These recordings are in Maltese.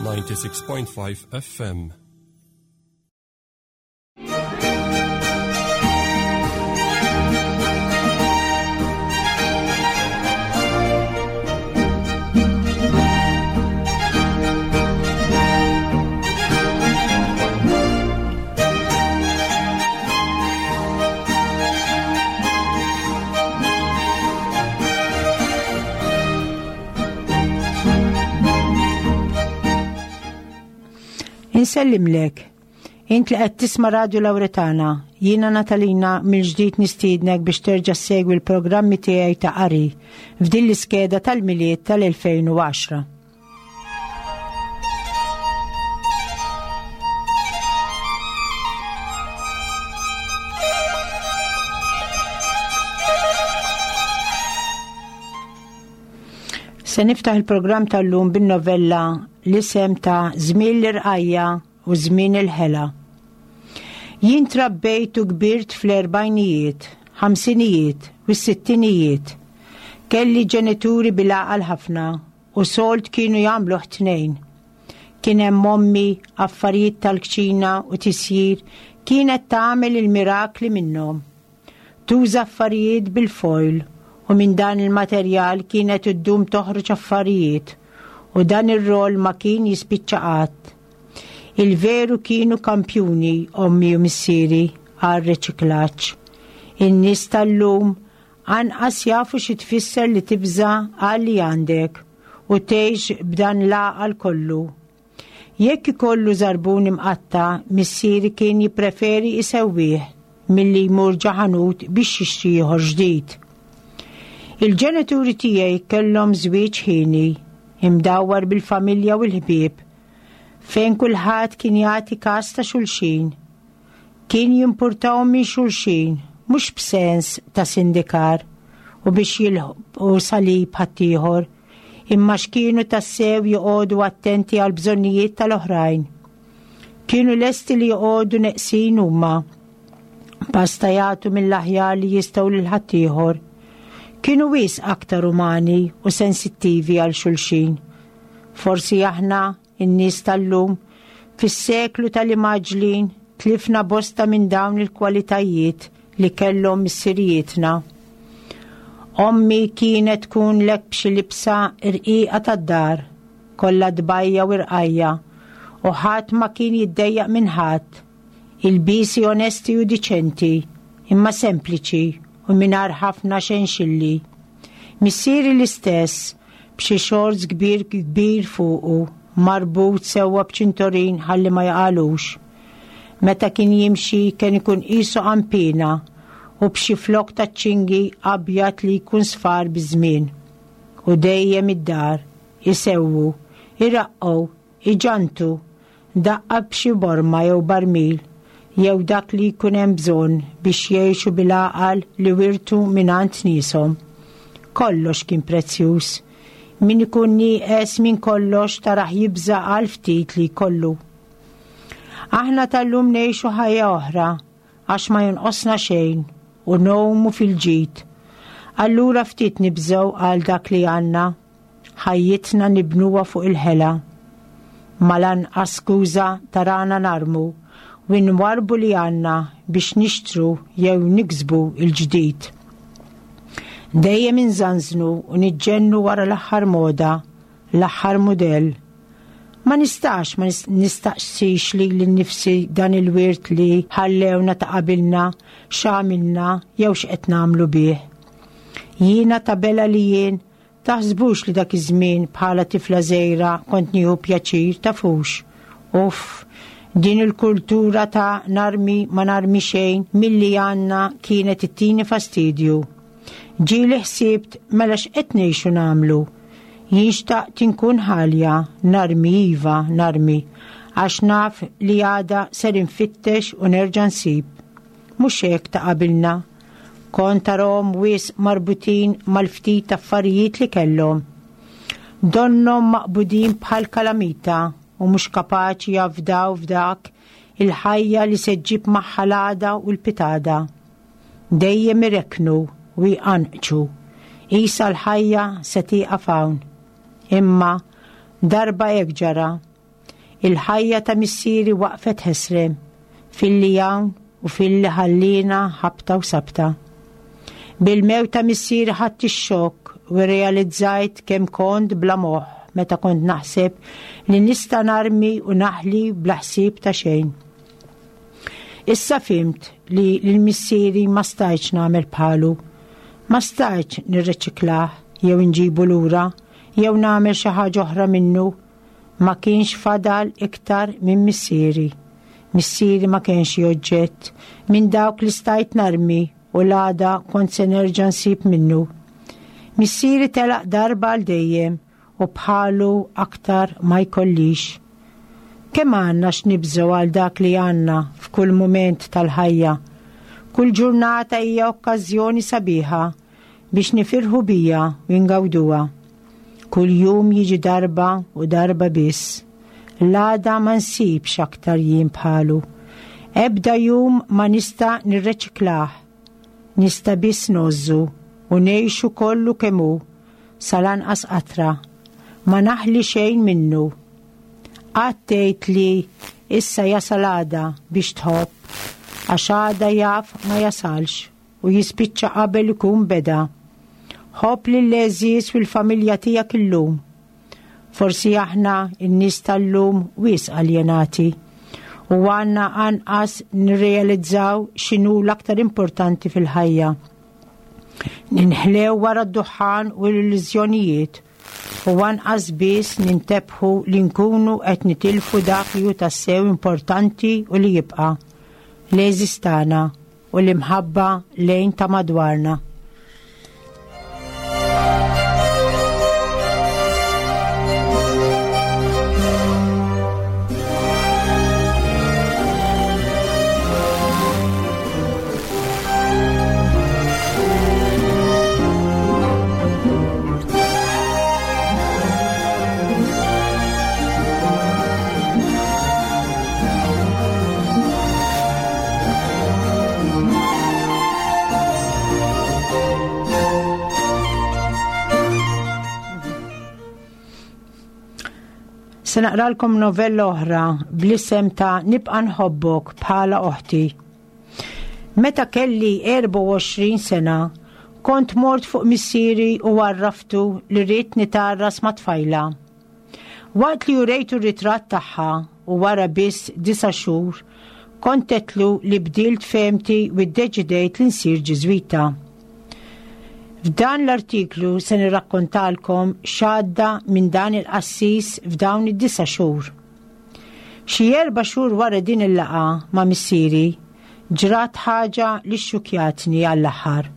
96.5 FM. Insellimlek. Int li qed tisma' Radju Lawretana, jiena Natalina mill-ġdid nistiednek biex terġa' ssegwi l-programmi tiegħi ta' qari f'din l-iskeda tal-Milied tal-2010. Se niftaħ il-programm tal-lum bin-novella l-isem ta' Żmien l-Irqajja u Żmien il-Ħela. Jien trabbejt u kbirt fl-erbajnijiet, ħamsinijiet u s-sittinijiet. Kelli ġenituri bil-għaqal ħafna u sold kienu jagħmluh tnejn. Kien hemm ommi, affarijiet tal-kċina u tisjir kienet tagħmel il-mirakli minnhom. Tuża affarijiet bil-foil u minn dan il-materjal kienet iddum toħroġ affarijiet u dan ir-roll ma kien jispiċċa qatt. Il-veru kienu kampjuni ommi u missieri għar-riċiklaġġ. In-nies tal-lum Anqas jafu xi tfisser li tibża' għal li għandek u tgħix b'dan l-għaqal kollu. Jekk ikollu żarbun imqatta', missieri kien jippreferi jsewwih milli jmur ġa ħanut biex jixtri ieħor ġdid. Il-ġenituri tiegħi kellhom żwieġ ħieni, imdawwar bil-familja u l-ħbieb, fejn kulħadd kien jagħti kas ta' xulxin. Kien jimpurtahom minn xulxin, mhux b'sens ta' sindikar u biex jilħqu salib ħaddieħor, imma x'kienu tassew joqogħdu attenti għall-bżonnijiet tal-oħrajn. Kienu lesti li joqogħdu neqsin huma, basta jagħtu mill-aħjar li jistgħu lil ħaddieħor. Kienu wisq aktar umani u sensittivi għal xulxin. Forsi aħna In-nies tal-lum, fis-seklu tal-imgħaġġlin, tlifna bosta minn dawn il-kwalitajiet li kellhom missirijietna. Ommi kienet tkun lek b'xi libsa rqiqa tad-dar, kollha tbajja u rqajja, u ħadd ma kien jiddejjaq minn ħadd. Ilbiesi onesti u diċenti, imma sempliċi u mingħajr ħafna xenxilli. Missieri l-istess, b'xi shorts kbir kbir fuqu, marbut sewwa b'ċintorin ħalli ma jaqagħlux. Meta kien jimxi kien ikun qisu qanpiena u b'xi flokk taċ-ċingi abjad li jkun sfar biż-żmien. U dejjem id-dar, isewwu, iraqqgħu, iġantu, daqqa b'xi borma jew barmil, jew dak li jkun hemm bżonn biex jgħixu bil-għaqal li wirtu mingħand nieshom. Kollox kien prezzjuż. Min ikun nieqes minn kollox tarah jibża' għal ftit li jkollu. Aħna tal-lum ngħixu ħajja oħra għax ma jonqosna xejn u ngħumu fil-ġid. Allura ftit nibżgħu għal dak li għandna. Ħajjitna nibnuha fuq il-ħela. Ma lanqas skuża tarana narmu u nwarrbu li għandna biex nixtru jew niksbu l-ġdid. Dejjem inżanżnu u niġġennu wara l-aħħar moda, l-aħħar mudell. Ma nistax ma nistaqsix lili nnifsi dan il-wirt li ħallewna ta' qabilna x'għamilna jew x'qed nagħmlu bih. Jiena ta' bela li jien Taħsbux li dak iż-żmien bħala tifla żgħira kont nieħu pjaċir, tafux. Uff, din il-kultura ta' narmi ma narmi xejn milli għandna kienet ittini fastidju. Ġieli ħsibt mela x'qed ngħixu nagħmlu? Jien xtaqt inkun ħalja, narmi iva, narmi, għax naf li għada ser infittex u nerġa' nsib. Mhux hekk ta' qabilna. Kont tarahom wisq marbutin mal-ftit affarijiet li kellhom. Donnhom maqbudin bħal kalamita u mhux kapaċi jafdaw f'dak il-ħajja li se ġġib magħha l-għada u l-pitada. Dejjem irekknu u jqanqċu. Qisha l-ħajja se tieqaf hawn. Imma darba hekk ġara. Il-ħajja ta' missieri waqfet ħesrem, filli hawn u filli ħalliena ħabta u sabta. Bil-mewt ta' missieri ħadt ix-xokk u rrealizzajt kemm kont bla moħħ meta kont naħseb li nista' narmi u naħli bla ħsieb ta' xejn. Issa fhimt li lil missieri ma stajtx nagħmel bħalu. Ma stajtx nirreċiklah jew inġibu lura jew nagħmel xi ħaġa oħra minnu. Ma kienx fadal iktar minn missieri. Missieri ma kienx xi oġġett minn dawk li stajt narmi u l-għada kont se nerġa' nsib minnu. Missieri telaq darba għal dejjem u bħalu aktar ma jkollix. Kemm għandna x'nibżgħu għal dak li għandna f'kull mument tal-ħajja. Kull ġurnata hija okkażjoni sabiħa biex nifirħu bija u ngawduha. Kull jum jiġi darba u darba biss. L-għada ma nsibx aktar jiem bħalu. Ebda jum ma nista' nirreċiklah. Nista' biss ngħożżu u ngħixu kollu kemm hu sal-anqas qatra. Ma naħli xejn minnu. Qatt tgħid li issa jasal għada biex tħobb, għax għada jaf ma jasalx u jispiċċa qabel ikun beda. Ħobb lill-għeżież u l-familja tiegħek illum. Forsi aħna n-nies tal-lum wisq aljenati u għandna anqas nirrealizzaw x'inhu l-aktar importanti fil-ħajja. Ninħlew wara d-duħħan u l-illużjonijiet u anqas biss nintebħu li nkunu qed nitilfu dak li hu tassew importanti u li jibqa' l-għeżież tagħna u l-imħabba lejn ta' madwarna. Se naqralkom novella oħra bl-isem ta' Nibqa' nħobbok bħala oħti. Meta kelli 24 sena, kont mort fuq missieri u għarraftu li rrid nitgħarras ma' tfajla. Waqt li urejtu r-ritratt tagħha u wara biss disa' xhur, kont għedtlu li bdilt fehmti u ddeċidejt li nsir Ġiżwita. F'dan l-artiklu se nirrakkontalkom x'għadda minn dan il-qassis f'dawn id-disa' xhur. Xi erba' xhur wara din il-laqgħa ma' missieri, ġrat ħaġa li xxukkjatni għall-aħħar.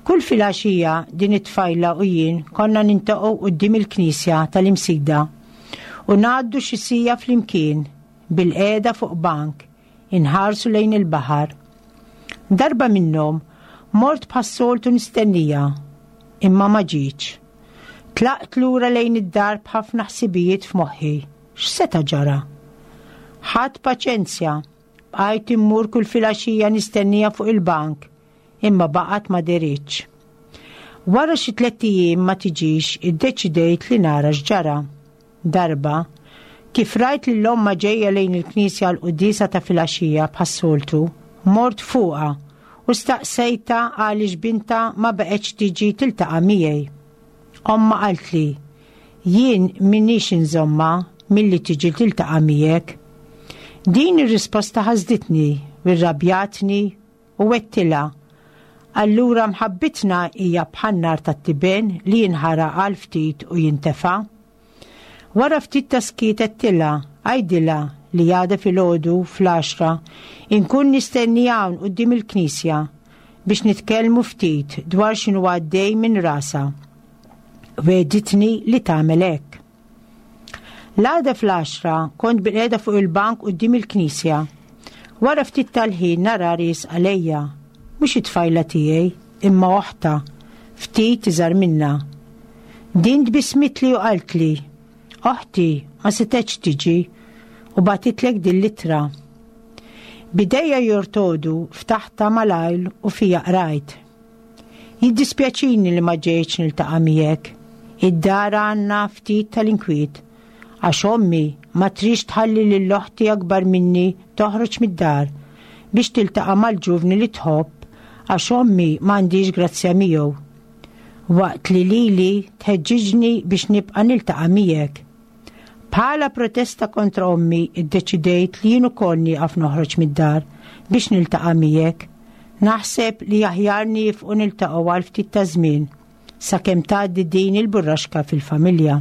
Kull filgħaxija din it-tfajla u jien konna nintaqgħu quddiem il-knisja tal-Imsida u ngħaddu xi siegħa flimkien bilqiegħda fuq bank inħarsu lejn il-baħar. Darba minnhom mort bħas-soltu nistennija, imma ma ġietx. Tlaqt lura lejn id-dar b'ħafna ħsibijiet f'moħħi. X'seta' ġara? Ħadt paċenzja, bqajt immur kull filgħaxija nistennija fuq il-bank, imma baqgħet ma dehritx. Wara xi tlett ijiem ma tiġix iddeċidejt li nara x'ġara. Darba, kif rajt lil ommha ġejja lejn il-knisja għall-quddiesa ta' filgħaxija bħas-soltu, mort fuqha u staqsejtha għaliex bintha ma baqgħetx tiġi tiltaqa' miegħi. Ommha qaltli, Jien m'iniex inżommha milli tiġi tiltaqa' miegħek. Din ir-risposta ħasditni u rrabjatni u għedtilha, Allura mħabbitna hija bħan-nar tat-tiben li jinħaraq għal ftit u jintefa'? Wara ftit ta' skiet għedtilha, Għidilha li għada filgħodu fl-għaxra inkun nistenni hawn quddiem il-knisja biex nitkellmu ftit dwar x'inhu għaddej minn rasha. Wegħditni li tagħmel hekk. L-għada fl-għaxra kont bilqiegħda fuq il-bank quddiem il-knisja. Wara ftit tal-ħin nara riesqa għalejja. Mhux it-tfajla tiegħi, imma oħtha, ftit iżgħar minnha. Din tbissmitli u qaltli, Oħti ma setgħetx tiġi u bagħtitlek din l-ittra. B'idejja jortodu ftaħtha malajr u fiha qrajt. Jiddispjaċini li ma ġejtx niltaqa' miegħek. Id-dar għandna ftit tal-inkwiet. Għax ommi ma tridx tħalli lil oħti akbar minni toħroġ mid-dar biex tiltaqa' mal-ġuvni li tħobb għax ommi m'għandhiex grazzja miegħu. Waqt li lili tħeġġiġni biex nibqa' niltaqa' miegħek. Bħala protesta kontra ommi iddeċidejt li jien ukoll nieqaf noħroġ mid-dar biex niltaqa' miegħek. Naħseb li aħjar niefqu niltaqgħu għal ftit ta' żmien sakemm tgħaddi din il-burraxka fil-familja.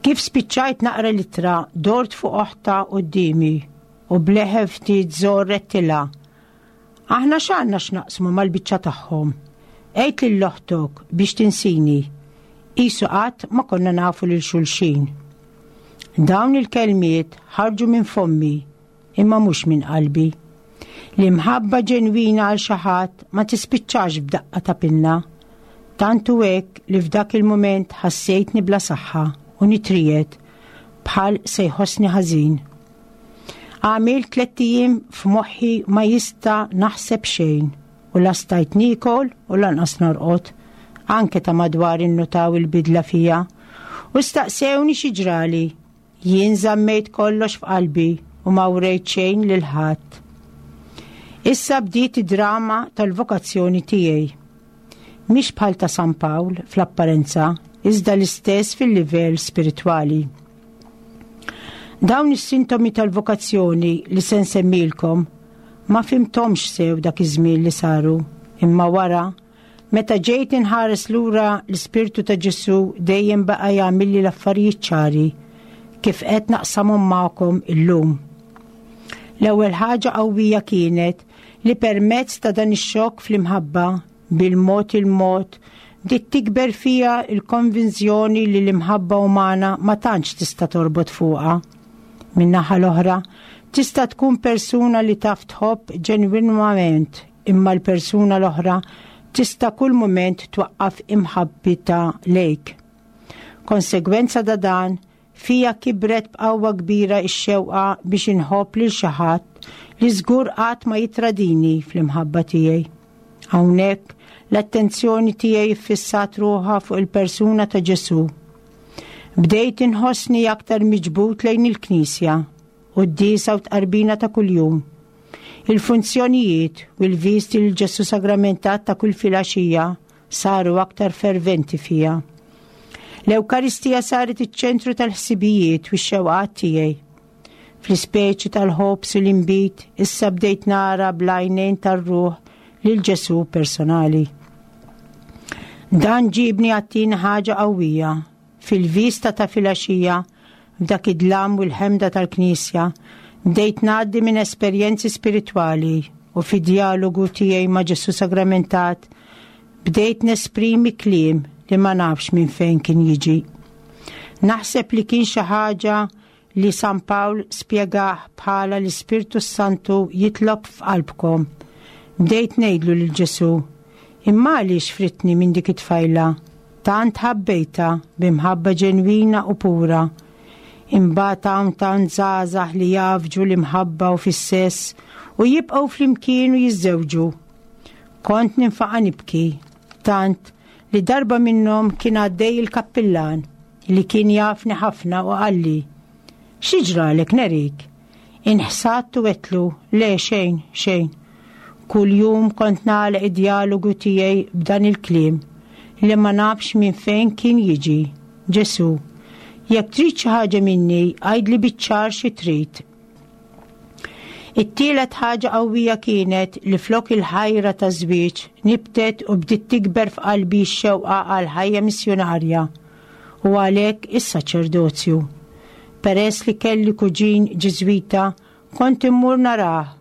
Kif spiċċajt naqra l-ittra dort fuq oħta quddiemi u bleħen ftit żor rettilha. Aħna x'għandna x'naqsmu mal-biċċa tagħhom? Għid lil oħtok biex tinsini. Qisu qatt ma konna nafu lil xulxin. Dawn il-kelmiet ħarġu minn fommi imma mhux minn qalbi. L-imħabba ġenwina għal xi ħadd ma tispiċċax b'daqqa ta' pinna. Tant hu hekk li f'dak il-mument ħassejtni bla saħħa u nitriegħed bħal se jħossni ħażin. Għamilt tlett ijiem f'moħħi ma jista' naħseb xejn u la stajt niekol u lanqas norqod. Anke ta' madwari nnutaw il-bidla fija u staqsewni xi ġrali. Jien żammejt kollox f'qalbi u ma wrejt xejn lil ħadd. Issa bdiet id-drama tal-vokazzjoni tiegħi. Mhix bħal ta' San Pawl fl-apparenza, iżda l-istess fil-livell spiritwali. Dawn is-sintomi tal-vokazzjoni li se nsemmilkom ma fhimthomx sew dak iż-żmien li saru, imma wara Meta ġejt inħares lura l-Ispirtu ta' Ġesù dejjem baqa' jagħmilli l-affarijiet ċari kif qed naqsamhom magħkom illum. L-ewwel ħaġa qawwija kienet li permezz ta' dan ix-xokk fl-imħabba, bil-mod il-mod, bdiet tikber fija l-konvinzjoni li l-imħabba umana ma tantx tista' torbot fuqha. Min-naħa l-oħra, tista' tkun persuna li taf tħobb ġenwinament imma l-persuna l-oħra tista' kull mument twaqqaf imħabbitha lejk. Konsegwenza ta' dan, fija kibret b'qawwa kbira x-xewqa biex inħobb lil xi ħadd li żgur qatt ma jittradini fl-imħabba tiegħi. Hawnhekk, l-attenzjoni tiegħi ffissat ruħha fuq il-persuna ta' Ġesù. Bdejt inħossni aktar miġbud lejn il-Knisja, quddiesa u tqarbina ta' kuljum. Il-funzjonijiet u l-viżti lil Ġesù Sagramentat ta' kull filgħaxija saru aktar ferventi fija. L-Ewkaristija saret iċ-ċentru tal-ħsibijiet u x-xewqat tiegħi. Fl-ispeċi tal-ħobż u l-inbid issa bdejt nara bl-għajnejn tar-ruħ lil Ġesù personali. Dan ġibni għat-tieni ħaġa qawwija Fil-vista ta' filgħaxija, f'dak id-dlam u l-ħemda tal-knisja, bdejt ngħaddi minn esperjenzi spiritwali u fid-djalogu tiegħi ma' Ġesù Sagramentat, bdejt nesprimi kliem li ma nafx minn fejn kien jiġi. Naħseb li kien xi ħaġa li San Pawl spjegah bħala l-Ispirtu s-Santu jitlob f'qalbkom. Bdejt ngħidlu lil Ġesù, Imma għaliex fridtni minn dik it-tfajla? Tant ħabbejtha b'imħabba ġenwina u pura. Imbagħad hawn tant żgħażagħ li jgħaffġu l-imħabba u fis-sess u jibqgħu flimkien u jiżżewġu. Kont ninfaqa' nibki, tant li darba minnhom kien għaddej il-kappillan li kien jafni ħafna u qalli, Xi ġralek Nerik? Inħsadt u għedtlu, Le xejn, xejn. Kuljum kont nagħlaq id-djalogu tiegħi b'dan il-kliem li ma nafx minn fejn kien jiġi, Ġesù, jekk trid xi ħaġa minni, għidli biċ-ċar xi trid. It-tielet ħaġa qawwija kienet li flok il-ħajra taż-żwieġ nibtet u bdiet tikber f'qalbi x-xewqa għal ħajja missjunarja u għalhekk is-saċerdozju. Peress li kelli kuġin Ġiżwita kont immur narah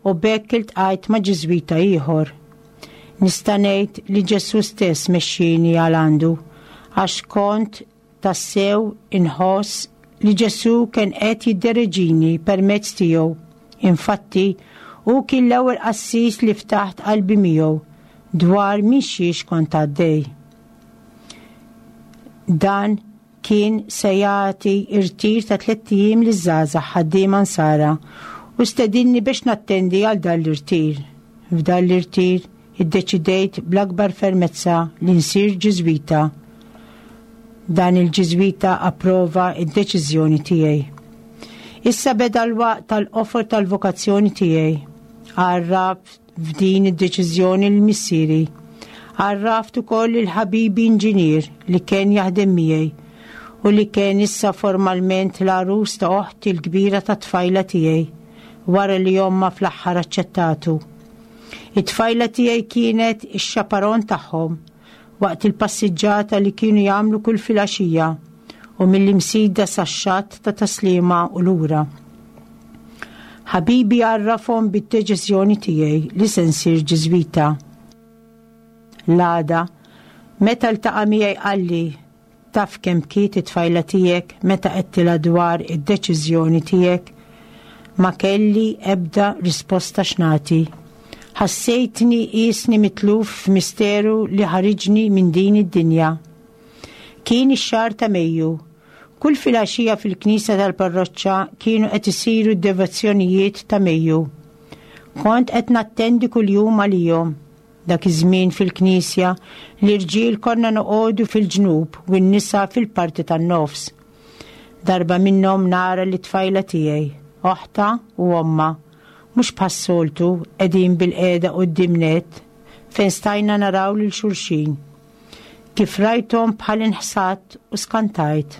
u b'hekk iltqajt ma' Ġiżwita ieħor. Nista' ngħid li Ġesù stess mexxieni għal għandu għax kont Tassew inħoss li Ġesù kien qed jiddereġini permezz tiegħu. Infatti, hu kien l-ewwel qassis li ftaħt qalbi miegħu dwar minn xiex kont għaddej. Dan kien se jagħti irtir ta' tlett ijiem liż-żgħażagħ ħaddiema Nsara u stedinni biex nattendi għal dan l-irtir. F'dan l-irtir Iddeċidejt bl-akbar fermezza li nsir Ġiżwita. Dan il-Ġiżwita approva d-deċiżjoni tiegħi. Issa beda l-waqt tal-qofol tal-vokazzjoni tiegħi. Għarraft f'din id-deċiżjoni lil missieri. Għarraft ukoll lil ħabibi inġinier li kien jaħdem miegħi u li kien issa formalment l-għarus ta' oħti l-kbira tat-tfajla tiegħi wara li ommha fl-aħħar aċċettatu. It-tfajla tiegħi kienet ix-xaparon tagħhom waqt il-passiġġata li kienu jagħmlu kull filgħaxija u mill-Imsida sax-xatt ta' Tas-Sliema u lura. Ħabibi għarrafhom bid-deċiżjoni tiegħi li se nsir Ġiżwita. L-għada, meta ltaqa' miegħi qalli, Taf kemm bkiet it-tfajla tiegħek meta għedtilha dwar id-deċiżjoni tiegħek? Ma kelli ebda risposta x'nagħti. Ħassejtni qiesni mitluf f'misteru li ħariġni minn din id-dinja. Kien ix-xahar ta' Mejju. Kull filgħaxija fil-knisja tal-parroċċa kienu qed isiru d-devozzjonijiet ta' Mejju. Kont qed nattendi kuljum għalihom. Dak iż-żmien fil-knisja, l-irġiel konna noqogħdu fil-ġnub u n-nisa fil-parti tan-nofs. Darba minnhom nara lit-tfajla tiegħi, oħtha u ommha, mhux bħas-soltu qegħdin bilqiegħda quddiem nett fejn stajna naraw lil xulxin. Kif rajthom bħal inħsadt u skantajt.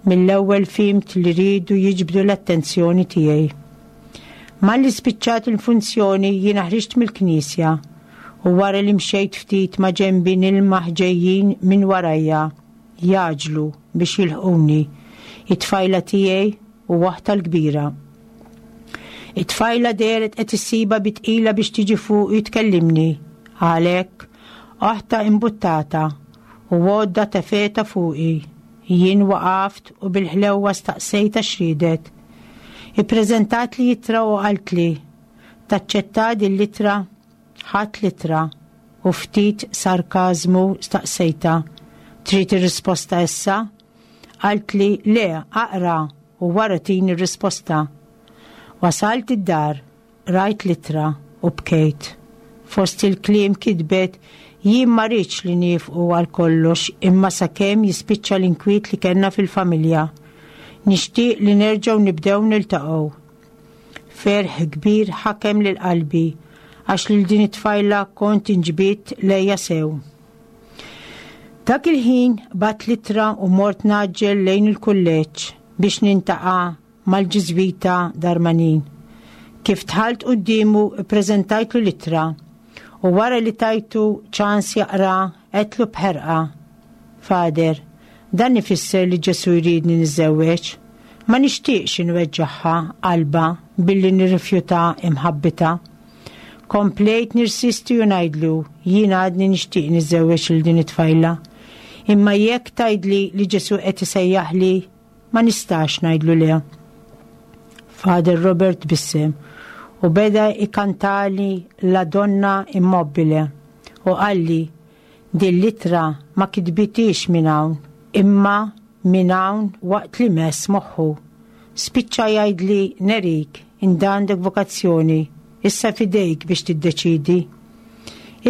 Mill-ewwel fhimt li riedu jiġbdu l-attenzjoni tiegħi. Malli spiċċat il-funzjoni jiena ħriġt mill-knisja u wara li mxejt ftit ma' ġenbi nilmaħ ġejjin minn warajja jgħaġġlu biex jilħquni, it-tfajla tiegħi u oħtha l-kbira. It-tfajla dehret qed issibha bi tqila biex tiġi fuqi tkellimni, għalhekk oħtha imbuttata u għodda tefgħetha fuqi. Jien waqaft u bil-ħlewwa staqsejtha x'riedet. Ippreżentatli ittra u qaltli, Taċċetta din l-ittra? Ħadt l-ittra u ftit sarkażmu staqsejtha, Trid ir-risposta issa? Qaltli, Le, aqra u wara tini r-risposta. Wasalt id-dar, qrajt l-ittra u bkejt. Fost il-kliem kitbet, Jien ma rridx li niefqu għal kollox imma sakemm jispiċċa l-inkwiet li kellna fil-familja. Nixtieq li nerġgħu nibdew niltaqgħu. Ferħ kbir ħakem lil qalbi għax lil din it-tfajla kont inġbidt lejha sew. Dak il-ħin bgħatt l-ittra u mort ngħaġġel lejn il-kulleġġ biex nintaqa' mal-Ġiżwita Darmanin. Kif dħalt quddiemu ppreżentajtlu l-ittra u wara li tajtu ċans jaqra għedtlu b'ħerqa, Father, dan ifisser li Ġesù jridni niżżewweġ. Ma nixtieqx inweġġagħha qalbha billi nirrifjuta imħabbitha. Komplejt nirsisti u ngħidlu, jien għadni nixtieq niżżewweġ lil din it-tfajla. Imma jekk tgħidli li Ġesù qed isejjaħli, Ma nistax ngħidlu le. Father Robert tbissem u beda jkantali La donna immobile u qalli din l-ittra ma kitbitiex minn hawn imma minn hawn waqt li mess moħħu. Spiċċa jgħidli Nerik int għandek vokazzjoni, issa f'idejk biex tiddeċiedi.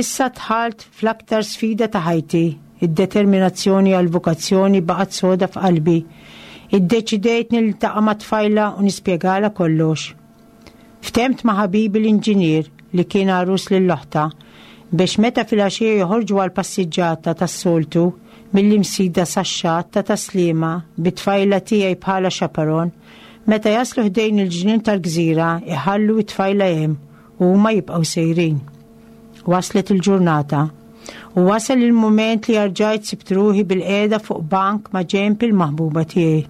Issa dħalt fl-aktar sfida ta' ħajti, id-determinazzjoni għall-vokazzjoni baqgħet soda f'qalbi. Iddeċidejt niltaqa' mat-tfajla u nispjegalha kollox. Ftemt ma' ħabibi l-inġinier li kien għarus lil oħtha biex meta filgħaxija joħorġu għall-passiġġata tas-soltu mill-Imsida sax-xatt ta' Tas-Sliema bit-tfajla tiegħi bħala chaperon, meta jaslu ħdejn il-ġnien tal-gżira iħallu t-tfajla hemm u huma jibqgħu sejrin. Waslet il-ġurnata. U wasal il-mument li arġajt sibt ruħi bil-qiegħda fuq bank ma' ġenb il-maħbuba tiegħi.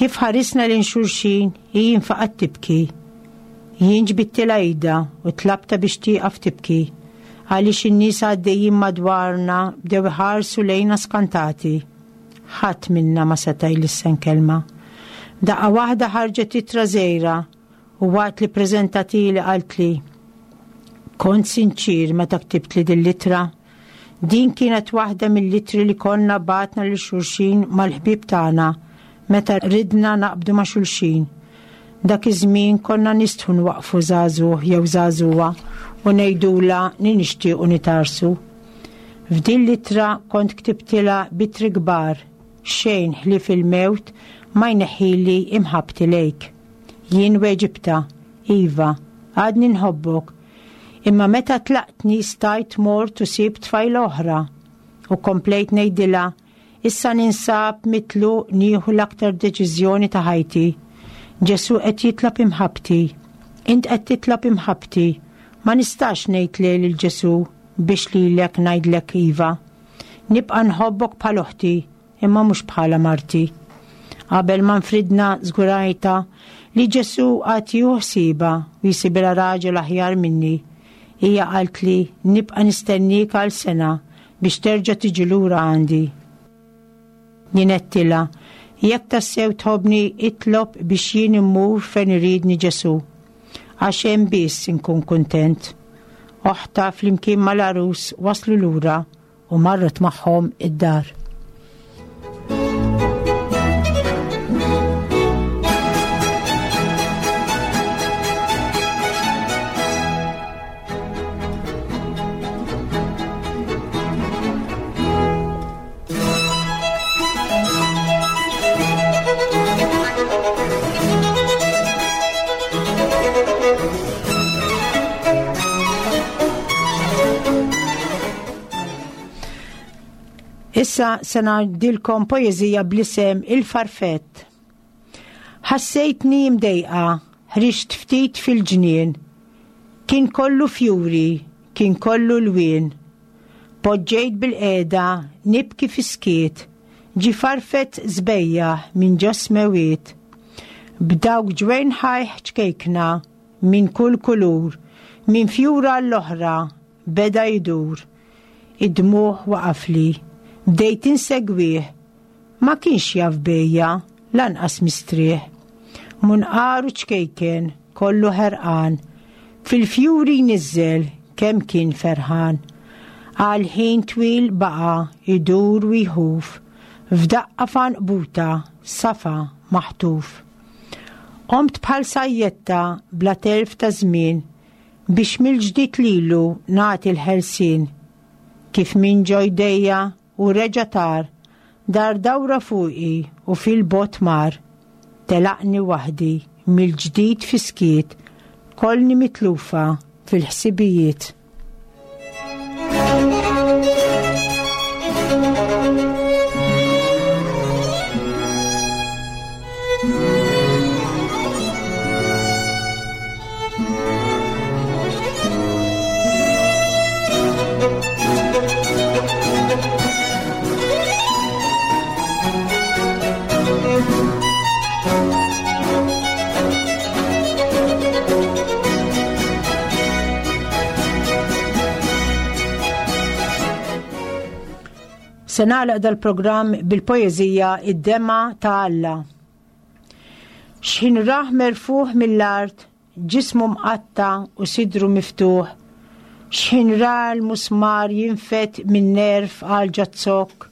Kif ħarisna lejn xulxin, hi infaqgħet tibki. Jien ġbidtilha idha u tlabtha biex tieqaf tibki, għaliex in-nies għaddejjin madwarna bdew iħarsu lejna skantati. Ħadd minna ma seta' jlissen kelma. Daqqa waħda ħarġet ittra żgħira U waqt li ppreżentatili qaltli, Kont sinċier meta ktibtli din l-ittra. Din kienet waħda mill-ittri li konna bagħtna lil xulxin mal-ħbieb tagħna meta ridna naqbdu ma' xulxin. Dak iż-żmien konna nistħu nwaqqfu żagħżugħ jew żagħżugħa u ngħidulha li nixtiequ nitgħarrsu. F'din l-ittra kont ktibtilha b'ittri kbar, Xejn ħlief il-mewt ma jneħħili imħabbti lejk. Jien weġibtha, Iva, għadni nħobbok. Imma meta tlaqtni stajt mort u sibt tfajla oħra. U komplejt ngħidilha, Issa ninsab mitluq nieħu l-aktar deċiżjoni ta' ħajti. Ġesù qed jitlob imħabbti. Int qed titlob imħabbti. Ma nistax ngħid le lil Ġesù biex lilek ngħidlek iva. Nibqa' nħobbok bħal oħti, imma mhux bħala marti. Qabel ma nfridna żgurajtha li Ġesù għad jieħu ħsiebha u jsibilha raġel aħjar minni. Hija qaltli nibqa' nistenniek għal sena biex terġa' tiġi lura għandi. Jien għedtilha, Jekk tassew tħobbni itlob biex jien immur fejn iridni Ġesù. Għax hemm biss inkun kuntent. Oħtha flimkien mal-għarus waslu lura u marret magħhom id-dar. Issa se ngħidilkom poeżija bl-isem Il-Farfett. Ħassejtni mdejqa, ħriġt ftit fil-ġnien. Kien kollu fjuri, kien kollu lwien. Poġġejt bilqiegħda nibki fis-skiet, ġie farfett sbejjaħ minn ġo s-smewwiet. B'dawk ġwejnħajh ċkejkna minn kull kulur, minn fjura għall-oħra beda jdur. Id-dmugħ waqafli, bdejt insegwih, ma kienx jaf bejja, lanqas mistrieħ. Munqaru ċkejken, kollu ħerqan, fil-fjuri jniżżel kemm kien ferħan. Għal ħin twil baqa' jdur u jħuf, f'daqqa f'għanqbuta safa maħtuf. Qomt bħal sajjetta bla telf ta' żmien biex mill-ġdid lilu nagħti l-ħelsien. Kif minn ġo jdejja u reġa' tar, dar dawra fuqi u fil-bogħod mar. Telaqni waħdi, mill-ġdid fis-skiet, kollni mitlufa fil-ħsibijiet. Se nagħlaq dal-programm bil-poeżija Id-Dema ta' Alla. X'ħin rah merfuħ mill-art Ġismu mqatta' u sidru miftuħ, x'ħin ra l-musmar jinfed min-nerv għal ġoz-zokk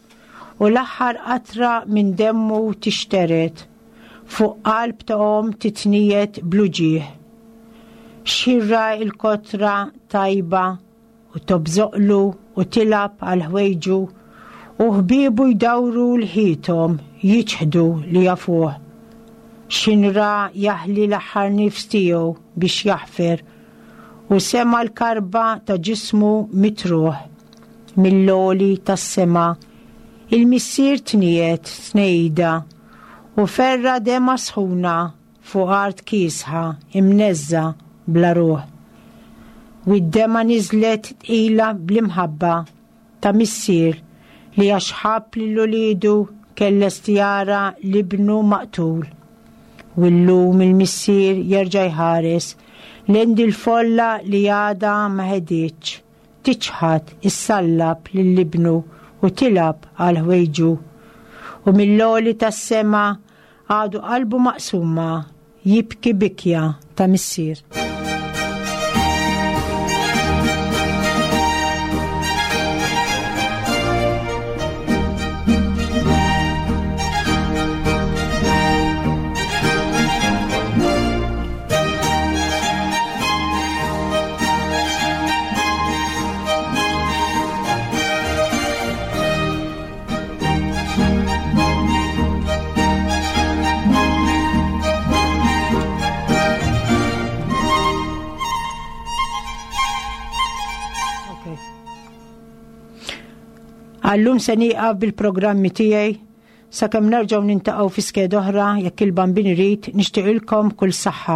u l-aħħar qatra minn demmu tixtered fuq qalb ta' omm titniegħed bl-uġigħ. X'ħin ra l-kotra tajba u tobżoqlu u tilgħab għal ħwejġu, u ħbiebu jdawru lħiethom jiċħdu li jafuh. X'ħin ra jaħli l-aħħar nifs tiegħu biex jaħfer, u sema' l-karba ta' ġismu mitruħ mill-għoli tas-sema, il-Missier tniegħed tnegħida u ferra' demgħa sħuna Fuq art kiesħa, imneżżgħa, bla ruħ. U d-demgħa niżlet tqila bl-imħabba ta' missier li għax ħabb lil uliedu kien lest jara 'l ibnu maqtul. U llum il-missier jerġa' jħares lejn dil-folla li għadha ma ħedietx tiċħad issallab lil ibnu u tilgħab għal ħwejġu. U mill-għoli tas-sema Għadu qalbu maqsuma jibki bikja ta' missier. Għallum se nieqaf bil-programmi tiegħi sakemm nerġgħu nintaqgħu fi skeda oħra jekk il-Bambin irid nixtieqilkom kull saħħa.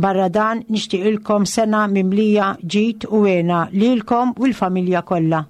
Barra dan nixtieqilkom sena mimlija ġid u hena lilkom u l-familja kollha.